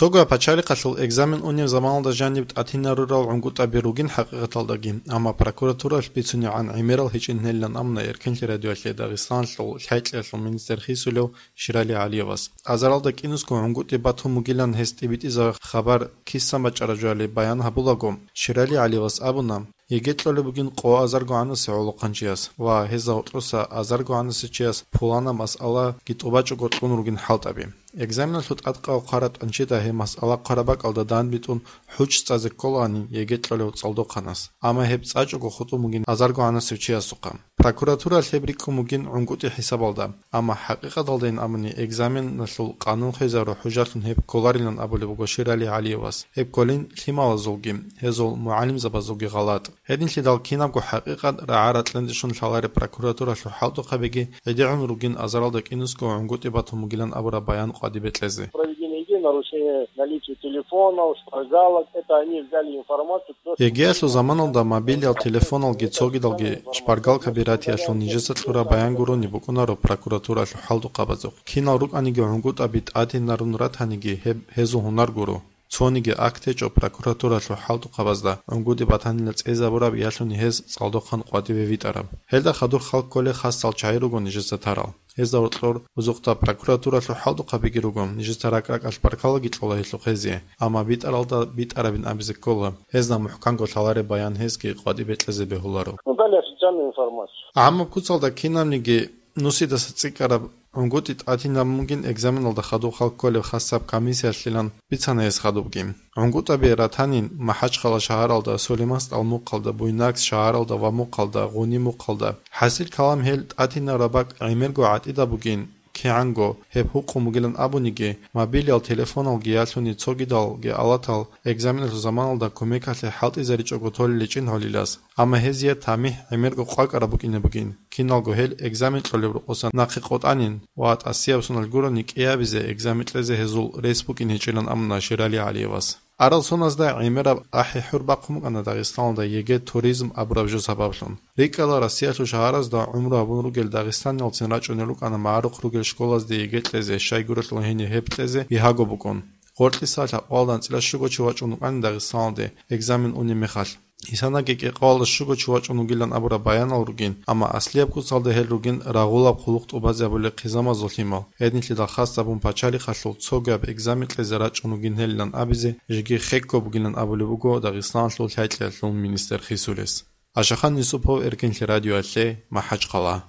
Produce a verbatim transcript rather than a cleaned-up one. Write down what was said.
Цогояб пачалихъалъул экзамен унеб заманалда жаниб тӀатинарурал гӀунгутӀаби ругин хӀакъикъаталдаги, амма прокуратуралъ бицунегӀан гӀемерал гьечӀин гьелилан амна Эркенлъи радиоялъе Дагъистаналъул лъайкьиялъул министр хисулев Ширали ГӀалиевас. Азаралда кӀинусго гӀунгутӀи батун бугилан гьес тӀибитӀизаб хабар кисан бачӀараб жоялде баян гьабулаго, Ширали ГӀалиевас абуна, еге кьолеб бугин къо азарго гӀанасе гӀолохъанчияс ва гьезда гьоркьоса азарго гӀанасе чияс пуланаб масъалаги тӀубачӀого кьун ругин хӀалтӀаби. Экзаменалъул тӀадкъав хъвараб тӀанчида гьеб масъала хъвараб бакӀалда данбитӀун хӀуччӀ цӀазе кколаанин еге кьолев цӀалдохъанас, амма гьеб цӀачӀого хутӀун бугин азарго гӀанасев чиясухъа. Прокуратуралъ гьеб рикӀкӀун бугин гӀунгутӀи хӀисабалда, амма хӀакъикъаталдайин абуни экзаменалъул къанун хвезару хӀужалъун гьеб кколарилан абулеб буго Ширали ГӀалиевас. Гьеб кколин лъималазулги, гьезул мугӀалимзабазулги гъалатӀ. Гьединлъидал кинабго хӀакъикъат рагӀа-ракьанде щун лъалареб прокуратуралъул хӀалтӀухъабиги гӀедегӀун ругин азаралда кӀинусго гӀунгутӀи батун бугилан абураб баян къватӀибе кьезе. Проведение игры, нарушение наличия телефонов, шпаргалок, это они взяли информацию, то, что Егеялъул заманалда мобилиял телефоналги цогидалги шпаргалкаби ратиялъул нижеца кьураб баян гурони букӀунаро прокуратуралъул хӀалтӀухъабазухъ. Кинал рукӀаниги гӀунгутӀаби тӀадинарун ратаниги гьеб гьезул гьунар гуро. Цониги акт гьечӀо прокуратуралъул хӀалтӀухъабазда гӀунгутӀи батанила цӀезабураб ялъуни гьез цӀалдохъан къватӀибе витӀараб. Гьелда хадур халкколей хасал чагӀи руго нижеца тарал. Гьезда гьоркьор бузухъда прокуратуралъул хӀалтӀухъабиги руго, нижеца ракӀ-ракӀалъ баркалаги кьола гьелъухъ гьезие, амма битӀаралда битӀарабин абизе ккола, гьезда мухӀканго лъалареб баян гьезги къватӀибе кьезе бегьуларо. Ну, дали официальную информацию. ГӀамаб куцалда кинабниги нусидаса цӀикӀкӀараб гӀунгутӀи тӀадинабун бугин экзаменалда хадуб халкколеб хасаб комиссиялъилан бицана гьес хадубги. ГӀунгутӀаби ратанин МахӀачхъала шагьаралда, Сулейман СтӀал мухъалда, Буйнакск шагьаралда ва мухъалда, Гъуни мухъалда. ХӀасил калам гьел тӀадинараб бакӀ гӀемерго гӀатӀида бугин, кигӀанго гьеб гьукъун бугилан абуниги, мобилиял телефоналги ялъуни цогидалги алатал экзаменалъул заманалда кумекалъе хӀалтӀизаричӀого толел гьечӀин гьолилас, амма гьезие тамихӀ гӀемерго къвакӀараб букӀине бугин, киналго гьел экзамен кьолеб рокъоса нахъе къотӀанин ва тӀасияб соналъ гурони кӀиабизе экзамен кьезе гьезул рес букӀин гьечӀилан абуна Ширали ГӀалиевас. Арал соназда гӀемераб ахӀи-хӀур бахъун букӀана Дагъистаналда ЕГЭ туризм абураб жо сабаблъун. РикӀкӀала Россиялъул шагьаразда гӀумру гьабун ругел дагъистаниялцин рачӀунел рукӀана магӀарухъ ругел школазде ЕГЭ кьезе, щайгурелъул гьенир гьеб кьезе бигьаго букӀун. Гъоркьиса лъабкъоялда анцӀила щуго чи вачӀун вукӀанин Дагъистаналде экзамен унеб мехалъ. Исанаги кӀикъоялда щуго чи вачӀун вугилан абураб баянал ругин, амма аслияб куцалда гьел ругин рагъулаб хъулухъ тӀубазе гьабулел хъизамазул лъимал. Гьединлъидал хасабун пачалихъалъул цогияб экзамен кьезе рачӀун вугин гьелилан абизе жеги хекко бугилан абулеб буго Дагъистаналъул лъайкьиялъул министр хисулес. Ашахан Юсупов, Эркенлъи радиоялъе, МахӀачхъала.